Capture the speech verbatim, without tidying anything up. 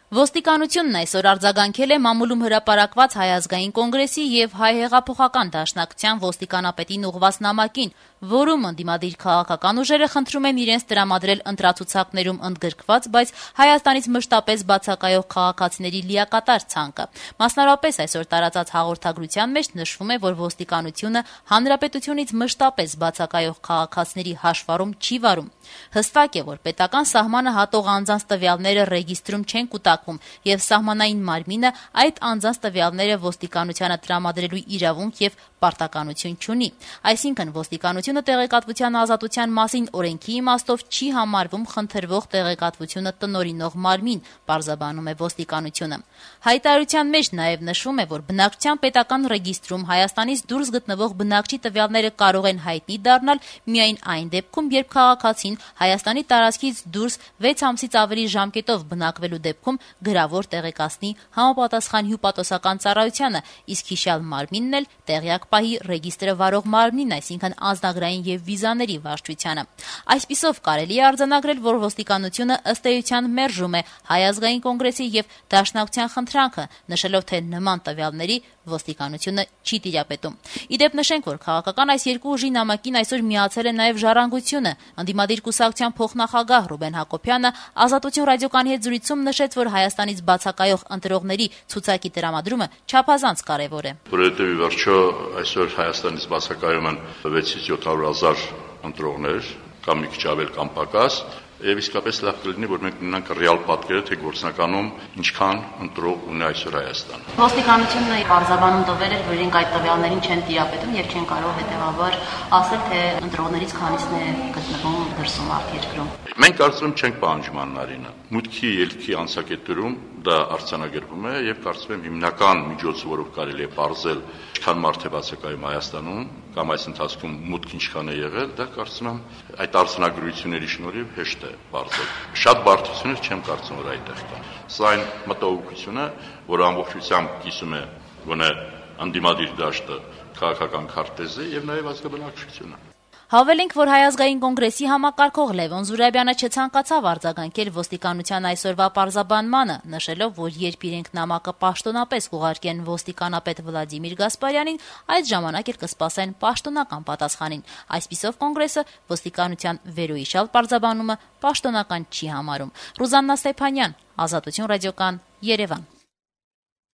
Ոստիկանությունն այսօր արձագանքել է մամուլում հրապարակված Հայ ազգային կոնգրեսի եւ Հայ հեղափոխական դաշնակցության ոստիկանապետին ուղղված նամակին, որում ընդդիմադիր քաղաքական ուժերը խնդրում են իրենց տրամադրել ընտրացուցակներում ընդգրկված, բայց Հայաստանից մշտապես բացակայող քաղաքացիների լիակատար ցանկը։ Մասնավորապես այսօր տարածած հաղորդագրության մեջ նշվում է, որ ոստիկանությունը հանրապետությունից մշտապես բացակայող քաղաքացիների հաշվառում չի վարում։ Հստակ է, որ պետական սահմանը հատող անձանց տվյալները ռեգիստրում չեն կուտակվում, եւ սահմանային մարմինը այդ անձանց տվյալները ոստիկանությանը տրամադրելու իրավունք եւ պարտականություն չունի։ Այսինքն ոստիկանությունը տեղեկատվության ազատության մասին օրենքի իմաստով չի համարվում խնդրվող տեղեկատվությունը տնօրինող մարմին, պարզաբանում է ոստիկանությունը։ Հայտարարության մեջ նաեւ նշվում է, որ բնակչության պետական ռեգիստրում Հայաստանից դուրս գտնվող բնակչի տվյալները կարող են հայտնի դառնալ միայն այն դեպքում, երբ քաղաքացին Հայաստանի տարածքից դուրս վեց ամսից ավելի ժամկետով բնակվելու դեպքում գրավոր տեղեկացնի համապատասխան հյուպատոսական ծառայությանը, իսկ հիշյալ մարմինն էլ տեղյակ պահի ռեգիստրը վարող մարմնին, այսինքն անձնագրային եւ վիզաների վարչությանը։ Այսպիսով կարելի է արձանագրել, որ ոստիկանությունը ըստ էության մերժում է Հայ ազգային կոնգրեսի եւ Դաշնակցության խնդրանքը, նշելով, թե նման տվյալների ոստիկանությունը չի տիրապետում։ Իդեպ նշենք, որ քաղաքական այս երկու ուժի նամակին այսօր միացել է նաեւ Ժառանգությունը։ Ընդդիմադիր կուսակցության փոխնախագահ Ռուբեն Հակոբյանը Ազատություն ռադիոկայանի հետ զրույցում նշեց, որ Հայաստանից բացակայող ընտրողների ցուցակի տրամադրումը չափազանց կարևոր է։ Որովհետեւ ի վերջո այսօր Հայաստանից բացակայում են վեցից յոթ հարյուր հազար ընտրողներ, կամ մի քիչ ավել կամ պակաս, եւ իսկապես լավ կլինի, որ մենք ունենանք ռեալ պատկերը, թե գործնականում ինչքան ընտրող ունի այսօր Հայաստանը։ Ոստիկանությունը պարզաբանում տվել էր, որ իրենք այդ տվյալներին չեն տիրապետում եւ չեն կարող հետեւաբար ասել, թե ընտրողներից քանիսն է գտնվում դրսում արտերկրում։ Մենք կարծում եմ չենք պահանջում Աննարինը։ Մուտքի ելքի անցակետերում դա արձանագրվում է եւ կարծում եմ հիմնական միջոցը, որով կարելի է բարձել ինչքան մարդ է բացակայում Հայաստանում կամ այս ընթացքում մուտք ինչքան է եղել, դա կարծում եմ այդ արձանագրությունների շնորհիվ հեշտ է բարձել։ Շատ բարդություններ չեմ կարծում, որ այդտեղ կան։ Սա այն մտահոգությունը, որը ամբողջությամբ կիսում է գոնե ընդդիմադիր դաշտը, քաղաքական քարտեզը եւ նաեւ ազգաբնակչությունը։ Հավելենք, որ Հայ ազգային կոնգրեսի համակարգող Լևոն Զուրաբյանը չցանկացավ արձագանքել ոստիկանության այսօրվա պարզաբանմանը, նշելով, որ երբ իրենք նամակը պաշտոնապես կուղարկեն ոստիկանապետ Վլադիմիր Գասպարյանին, այդ ժամանակ էլ կսպասեն պաշտոնական պատասխանին։ Այսպիսով կոնգրեսը ոստիկանության վերոհիշյալ պարզաբանումը պաշտոնական չի համարում։ Ռուզաննա Ստեփանյան, Ազատություն ռադիոկան, Երևան։